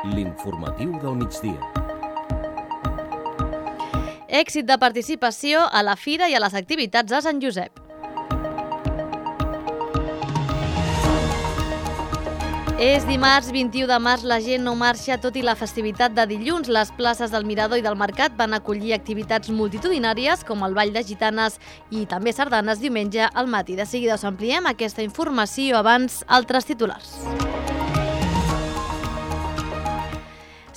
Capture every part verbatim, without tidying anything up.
L'informatiu del migdia. Èxit de participació a la Fira i a les activitats de Sant Josep. És dimarts vint-i-u de març, la gent no marxa tot i la festivitat de dilluns. Les places del Mirador i del Mercat van acollir activitats multitudinàries com el Ball de Gitanes i també sardanes diumenge al matí. De seguida us ampliem aquesta informació, abans altres titulars.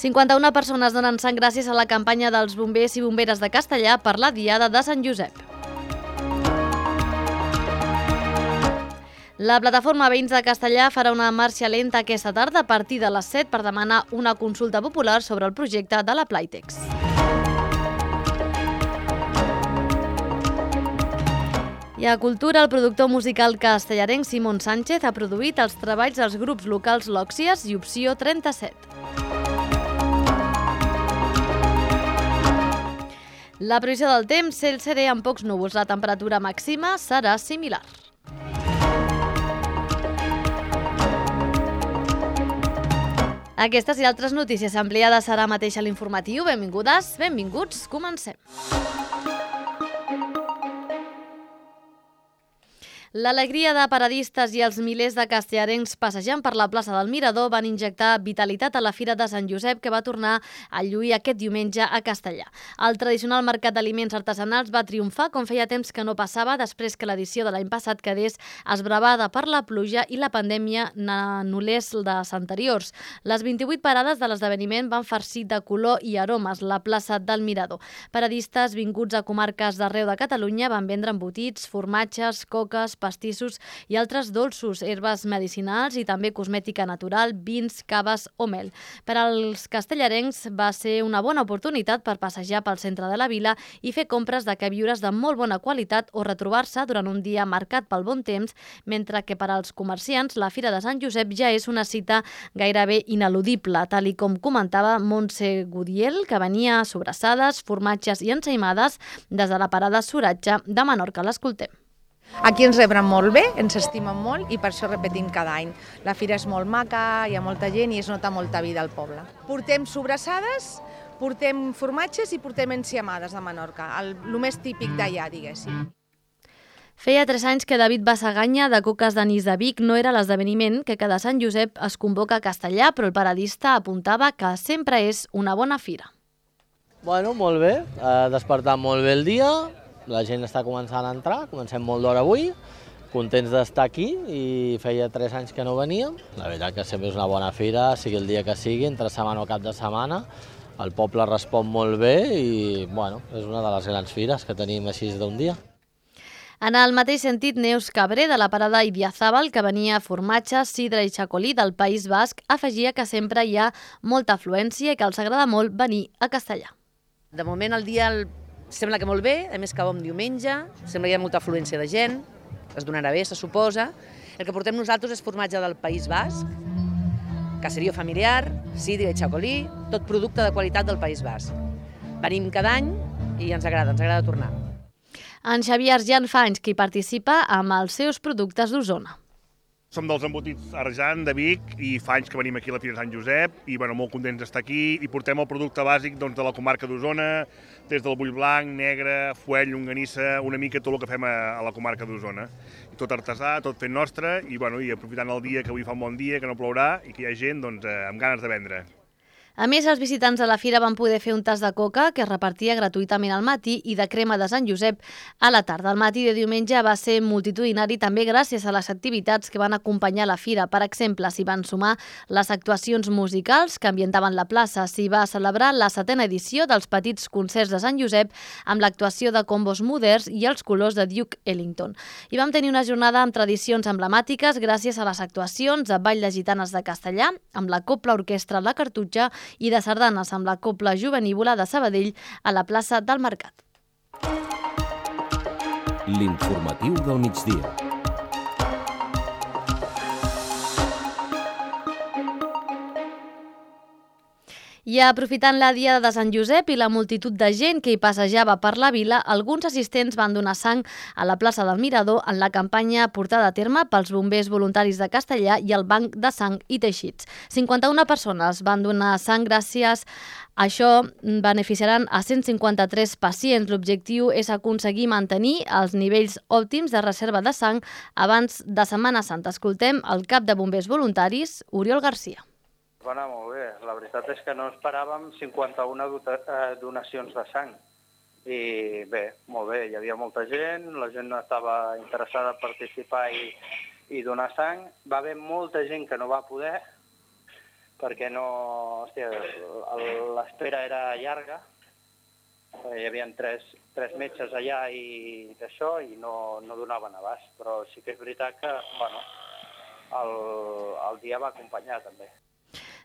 cinquanta-una persones donen sang gràcies a la campanya dels bombers i bomberes de Castellà per la Diada de Sant Josep. La plataforma Veïns de Castellà farà una marxa lenta aquesta tarda a partir de les set per demanar una consulta popular sobre el projecte de la Playtex. I a Cultura, el productor musical castellarenc Simón Sánchez ha produït els treballs dels grups locals Lòxies i Opció trenta-set. La previsió del temps, cel serè amb pocs núvols. La temperatura màxima serà similar. Aquestes i altres notícies ampliades ara mateix a l'informatiu. Benvingudes, benvinguts, comencem. L'alegria de paradistes i els milers de castellarencs passejant per la plaça del Mirador van injectar vitalitat a la Fira de Sant Josep, que va tornar a lluir aquest diumenge a Castellà. El tradicional mercat d'aliments artesanals va triomfar com feia temps que no passava, després que l'edició de l'any passat quedés esbravada per la pluja i la pandèmia n'anul·lés les anteriors. Les vint-i-vuit parades de l'esdeveniment van farcir de color i aromes la plaça del Mirador. Paradistes vinguts a comarques d'arreu de Catalunya van vendre embotits, formatges, coques, pastissos i altres dolços, herbes medicinals i també cosmètica natural, vins, caves o mel. Per als castellarencs va ser una bona oportunitat per passejar pel centre de la vila i fer compres de queviures de molt bona qualitat o retrobar-se durant un dia marcat pel bon temps, mentre que per als comerciants la Fira de Sant Josep ja és una cita gairebé ineludible, tal i com comentava Montse Gudiel, que venia a sobrassades, formatges i ensaïmades des de la parada Soratge de Menorca. L'escoltem. Aquí ens rebren molt bé, ens estimen molt i per això repetim cada any. La fira és molt maca, hi ha molta gent i es nota molta vida al poble. Portem sobrassades, portem formatges i portem enciamades de Menorca, el, el més típic d'allà, diguéssim. Feia tres anys que David Bassaganya, de Coques d'Anís de Vic, no era l'esdeveniment que cada Sant Josep es convoca a Castellà, però el paradista apuntava que sempre és una bona fira. Bueno, molt bé, ha despertat molt bé el dia. La gent està començant a entrar, comencem molt d'hora avui, contents d'estar aquí i feia tres anys que no veníem. La veritat que sempre és una bona fira, sigui el dia que sigui, entre setmana o cap de setmana. El poble respon molt bé i bueno, és una de les grans fires que tenim així d'un dia. En el mateix sentit, Neus Cabré, de la parada Idiazábal, que venia formatge, sidra i xacolí del País Basc, afegia que sempre hi ha molta afluència i que els agrada molt venir a Castellà. De moment el dia el... sembla que molt bé, a més que bon diumenge, sembla que hi ha molta afluència de gent, es donarà bé, se suposa. El que portem nosaltres és formatge del País Basc, caserío familiar, sidra i xacolí, tot producte de qualitat del País Basc. Venim cada any i ens agrada, ens agrada tornar. En Xavier Arjan fa anys que hi participa amb els seus productes d'Osona. Som dels embotits Arjan de Vic i fa anys que venim aquí a la Fira de Sant Josep i bueno, molt contents d'estar aquí i portem el producte bàsic doncs, de la comarca d'Osona, des del bull blanc, negre, fuell, llonganissa, una mica tot el que fem a, a la comarca d'Osona. I tot artesà, tot fent nostre i, bueno, i aprofitant el dia que avui fa un bon dia, que no plourà i que hi ha gent doncs, eh, amb ganes de vendre. A més, els visitants de la fira van poder fer un tas de coca que es repartia gratuïtament al matí i de crema de Sant Josep a la tarda. El matí de diumenge va ser multitudinari també gràcies a les activitats que van acompanyar la fira. Per exemple, s'hi van sumar les actuacions musicals que ambientaven la plaça. S'hi va celebrar la setena edició dels petits concerts de Sant Josep amb l'actuació de combos moderns i els colors de Duke Ellington. I vam tenir una jornada amb tradicions emblemàtiques gràcies a les actuacions de Ball de Gitanes de Castellà, amb la Copla Orquestra La Cartutxa i de sardanes amb la Copla Jovenívola de Sabadell a la plaça del Mercat. L'informatiu del migdia. I aprofitant la Diada de Sant Josep i la multitud de gent que hi passejava per la vila, alguns assistents van donar sang a la plaça del Mirador en la campanya portada a terme pels bombers voluntaris de Castellà i el Banc de Sang i Teixits. cinquanta-una persones van donar sang gràcies a això, beneficiaran a cent cinquanta-tres pacients. L'objectiu és aconseguir mantenir els nivells òptims de reserva de sang abans de Setmana Santa. Escoltem el cap de bombers voluntaris, Oriol Garcia. Va anar molt bé. La veritat és que no esperàvem cinquanta-una donacions de sang. I bé, molt bé, hi havia molta gent, la gent estava interessada a participar i, i donar sang. Va haver molta gent que no va poder, perquè no, hòstia, l'espera era llarga. Hi havia tres, tres metges allà i d'això i no, no donaven abast. Però sí que és veritat que, bueno, el, el dia va acompanyar també.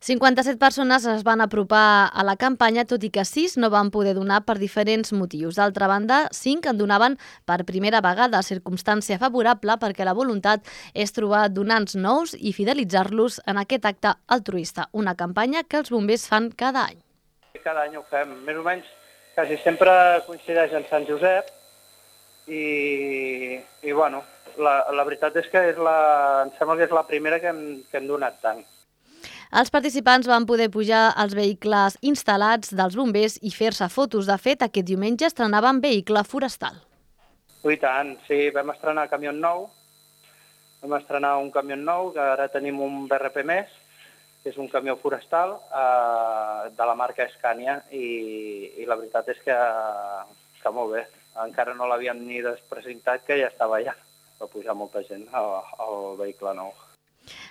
cinquanta-set persones es van apropar a la campanya, tot i que sis no van poder donar per diferents motius. D'altra banda, cinc en donaven per primera vegada, circumstància favorable perquè la voluntat és trobar donants nous i fidelitzar-los en aquest acte altruista, una campanya que els bombers fan cada any. Cada any ho fem, més o menys, quasi sempre coincideix en Sant Josep i, i bueno, la, la veritat és que és la, em sembla que és la primera que hem, que hem donat tant. Els participants van poder pujar als vehicles instal·lats dels bombers i fer-se fotos. De fet, aquest diumenge estrenaven vehicle forestal. I tant, sí, vam estrenar camió nou, vam estrenar un camió nou, que ara tenim un B R P més, que és un camió forestal eh, de la marca Scania, i, i la veritat és que, que molt bé. Encara no l'havíem ni despresentat, que ja estava allà. Va pujar molta gent al, al vehicle nou.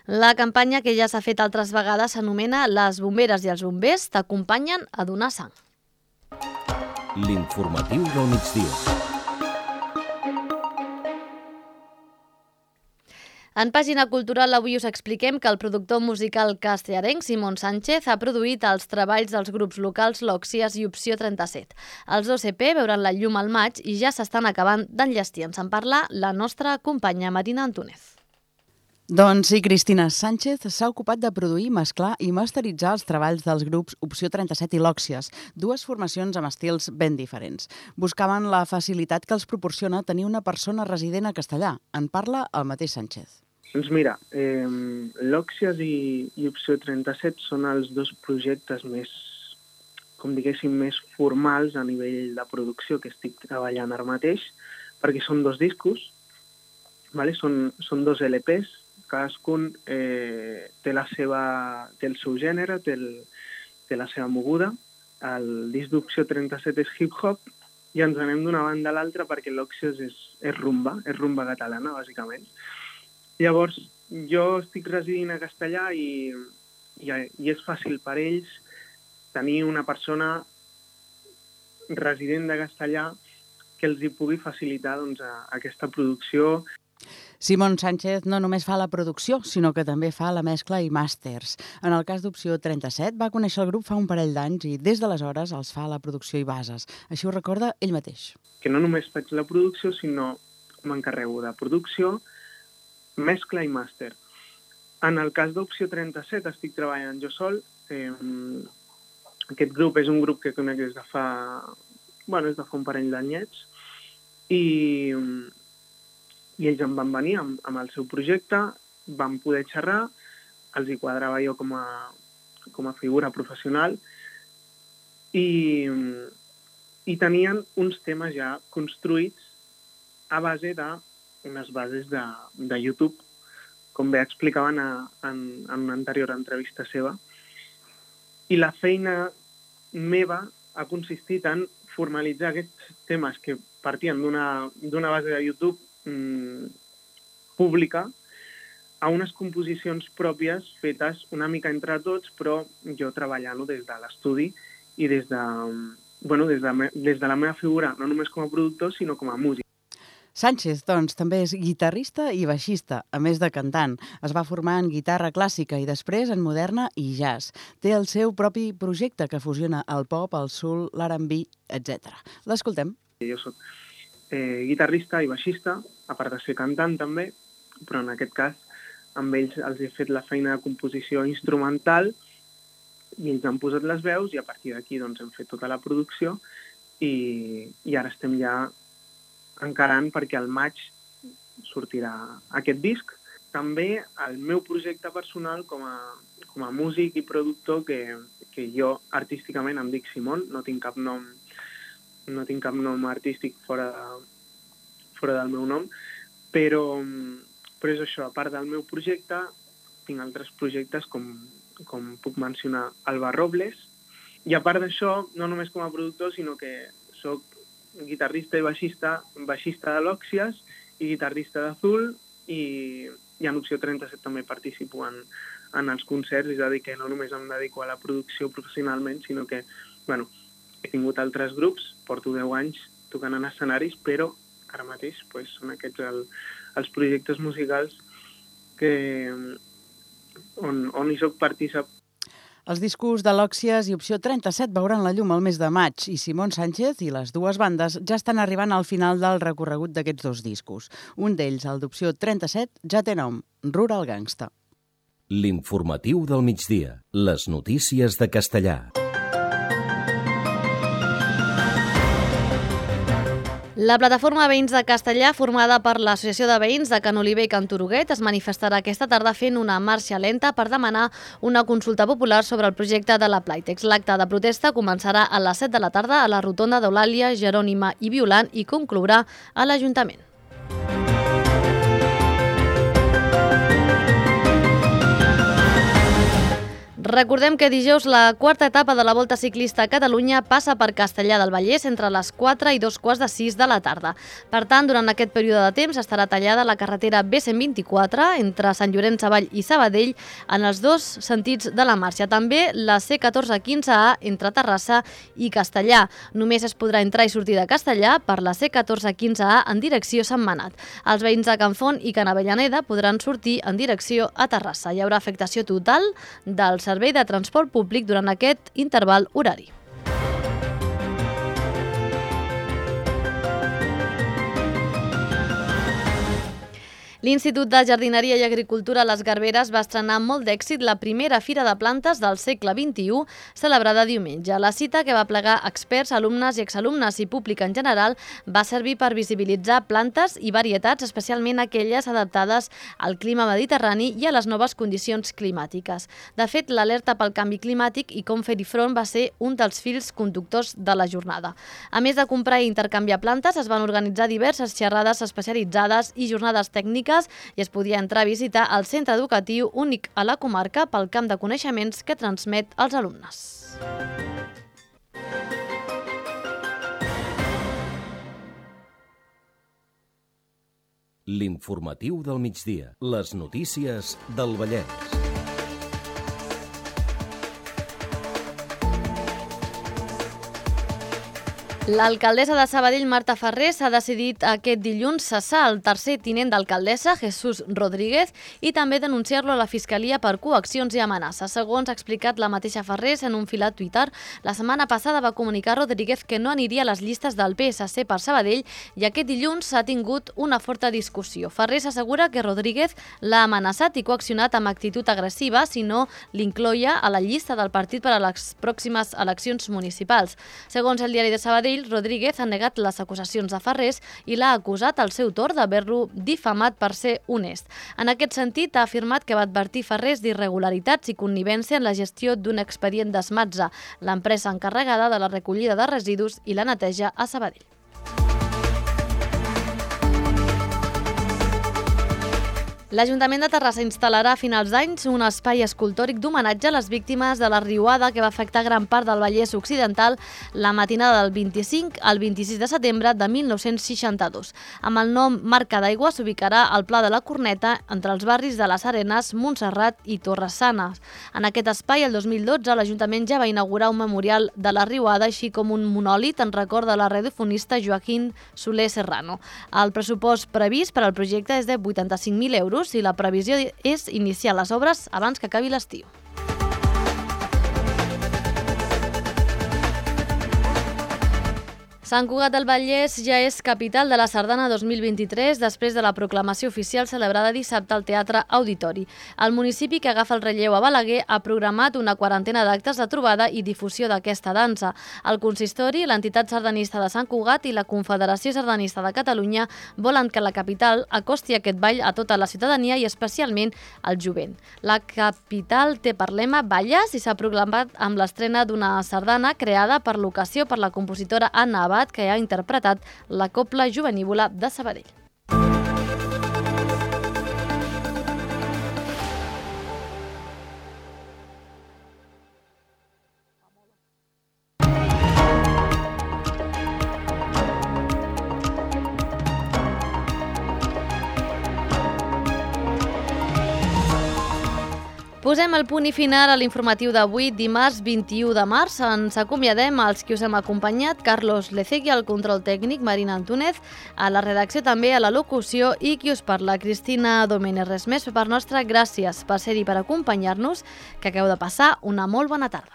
La campanya, que ja s'ha fet altres vegades, s'anomena Les bomberes i els bombers t'acompanyen a donar sang. L'informatiu del migdia. En pàgina cultural avui us expliquem que el productor musical castellarenc Simón Sánchez ha produït els treballs dels grups locals Lòxies i Opció trenta-set. Els dos E P veuran la llum al maig i ja s'estan acabant d'enllestir. Ens en parla la nostra companya Marina Antúnez. Doncs sí, Cristina Sánchez s'ha ocupat de produir, mesclar i masteritzar els treballs dels grups Opció trenta-set i Lòxies, dues formacions amb estils ben diferents. Buscaven la facilitat que els proporciona tenir una persona resident a Castellà. En parla el mateix Sánchez. Doncs mira, eh, Lòxies i, i Opció trenta-set són els dos projectes més, com diguéssim, més formals a nivell de producció que estic treballant ara mateix, perquè són dos discos, vale? són, són dos L Ps, cadascun eh, té, la seva, té el seu gènere, té, el, té la seva moguda. El disc d'Opció trenta-set és hip-hop i ens anem d'una banda a l'altra perquè l'Òxies és, és rumba, és rumba catalana, bàsicament. Llavors, jo estic residint a Castellà i, i, i és fàcil per ells tenir una persona resident de Castellà que els hi pugui facilitar doncs, a, aquesta producció. Simón Sánchez no només fa la producció, sinó que també fa la mescla i màsters. En el cas d'Opció trenta-set va conèixer el grup fa un parell d'anys i des d'aleshores els fa la producció i bases. Així ho recorda ell mateix. Que no només faig la producció, sinó m'encarrego de producció, mescla i màster. En el cas d'Opció trenta-set estic treballant jo sol. Eh, aquest grup és un grup que conec des de fa, bueno, des de fa un parell d'anyets i... i ells em van venir amb, amb el seu projecte, vam poder xerrar, els hi quadrava jo com a, com a figura professional i, i tenien uns temes ja construïts a base d'unes bases de, de YouTube, com bé explicaven a, en, en una anterior entrevista seva. I la feina meva ha consistit en formalitzar aquests temes que partien d'una d'una base de YouTube pública a unes composicions pròpies fetes una mica entre tots, però jo treballant-ho des de l'estudi i des de, bueno, des de, des de la meva figura, no només com a productor, sinó com a músic. Sánchez, doncs, també és guitarrista i baixista, a més de cantant. Es va formar en guitarra clàssica i després en moderna i jazz. Té el seu propi projecte que fusiona el pop, el soul, l'R and B, etcètera. L'escoltem. Jo soc eh, guitarrista i baixista, a part de ser cantant també, però en aquest cas amb ells els he fet la feina de composició instrumental i ells han posat les veus i a partir d'aquí doncs, hem fet tota la producció i, i ara estem ja encarant perquè al maig sortirà aquest disc. També el meu projecte personal com a, com a músic i productor, que, que jo artísticament em dic Simon, no tinc cap nom, no tinc cap nom artístic fora, de, fora del meu nom, però, però és això, a part del meu projecte, tinc altres projectes com, com puc mencionar Alba Robles, i a part d'això, no només com a productor, sinó que soc guitarrista i baixista, baixista de l'Òxies i guitarrista d'Azul, i, i en Opció trenta-set també participo en, en els concerts, és a dir, que no només em dedico a la producció professionalment, sinó que, bueno, he tingut altres grups, porto deu anys tocant en escenaris, però ara mateix pues, són aquests el, els projectes musicals que, on, on hi soc partícip. Els discos de l'Òxies i Opció trenta-set veuran la llum al mes de maig i Simon Sánchez i les dues bandes ja estan arribant al final del recorregut d'aquests dos discos. Un d'ells, el d'Opció trenta-set, ja té nom, Rural Gangsta. L'informatiu del migdia. Les notícies de Castellà. La plataforma Veïns de Castellà, formada per l'Associació de Veïns de Can Oliver i Can Turuguet, es manifestarà aquesta tarda fent una marxa lenta per demanar una consulta popular sobre el projecte de la Playtex. L'acte de protesta començarà a les set de la tarda a la rotonda d'Eulàlia, Jerònima i Violant i conclourà a l'Ajuntament. Recordem que dijous la quarta etapa de la Volta Ciclista a Catalunya passa per Castellar del Vallès entre les quatre i dos quarts de sis de la tarda. Per tant, durant aquest període de temps estarà tallada la carretera B cent vint-i-quatre entre Sant Llorenç Savall i Sabadell en els dos sentits de la marxa. També la C catorze quinze A entre Terrassa i Castellar. Només es podrà entrar i sortir de Castellar per la C catorze quinze A en direcció Sant Manat. Els veïns de Can Font i Can Avellaneda podran sortir en direcció a Terrassa. Hi haurà afectació total del servei de transport públic durant aquest interval horari. L'Institut de Jardineria i Agricultura Les Garberes va estrenar amb molt d'èxit la primera Fira de Plantes del segle vint-i-u, celebrada diumenge. La cita, que va plegar experts, alumnes i exalumnes i públic en general, va servir per visibilitzar plantes i varietats, especialment aquelles adaptades al clima mediterrani i a les noves condicions climàtiques. De fet, l'alerta pel canvi climàtic i com fer-hi front va ser un dels fils conductors de la jornada. A més de comprar i intercanviar plantes, es van organitzar diverses xerrades especialitzades i jornades tècniques i es podia entrar a visitar el centre educatiu únic a la comarca pel camp de coneixements que transmet als alumnes. L'informatiu del migdia. Les notícies del Vallès. L'alcaldessa de Sabadell, Marta Ferrés, ha decidit aquest dilluns cessar el tercer tinent d'alcaldessa, Jesús Rodríguez, i també denunciar-lo a la Fiscalia per coaccions i amenaces. Segons ha explicat la mateixa Ferrés en un fil a Twitter, la setmana passada va comunicar Rodríguez que no aniria a les llistes del P S C per Sabadell i aquest dilluns s'ha tingut una forta discussió. Ferrés assegura que Rodríguez l'ha amenaçat i coaccionat amb actitud agressiva si no l'incloia a la llista del partit per a les pròximes eleccions municipals. Segons el diari de Sabadell, Rodríguez ha negat les acusacions de Ferrés i l'ha acusat al seu torn d'haver-lo difamat per ser honest. En aquest sentit, ha afirmat que va advertir Ferrés d'irregularitats i connivència en la gestió d'un expedient d'Esmatza, l'empresa encarregada de la recollida de residus i la neteja a Sabadell. L'Ajuntament de Terrassa instal·larà a finals d'anys un espai escultòric d'homenatge a les víctimes de la riuada que va afectar gran part del Vallès Occidental la matinada del vint-i-cinc al vint-i-sis de setembre de mil nou-cents seixanta-dos. Amb el nom Marca d'Aigua s'ubicarà al Pla de la Corneta entre els barris de les Arenes, Montserrat i Torres-Sanes. En aquest espai, el dos mil dotze, l'Ajuntament ja va inaugurar un memorial de la riuada, així com un monòlit en record de la radiofonista Joaquín Soler Serrano. El pressupost previst per al projecte és de vuitanta-cinc mil euros i la previsió és iniciar les obres abans que acabi l'estiu. Sant Cugat del Vallès ja és capital de la Sardana dos mil vint-i-tres després de la proclamació oficial celebrada dissabte al Teatre Auditori. El municipi, que agafa el relleu a Balaguer, ha programat una quarantena d'actes de trobada i difusió d'aquesta dansa. El consistori, l'entitat sardanista de Sant Cugat i la Confederació Sardanista de Catalunya volen que la capital acosti aquest ball a tota la ciutadania i especialment al jovent. La capital té per lema Balles i s'ha proclamat amb l'estrena d'una sardana creada per l'ocasió per la compositora Anna Abad, que ha interpretat la Cobla Jovenívola de Sabadell. Posem el punt i final a l'informatiu d'avui, dimarts vint-i-u de març. Ens acomiadem als qui us hem acompanyat, Carlos Lecegui al control tècnic, Marina Antúnez, a la redacció també, a la locució, i qui us parla, Cristina Domènech. Res més per part nostra, gràcies per ser-hi, per acompanyar-nos, que acabeu de passar una molt bona tarda.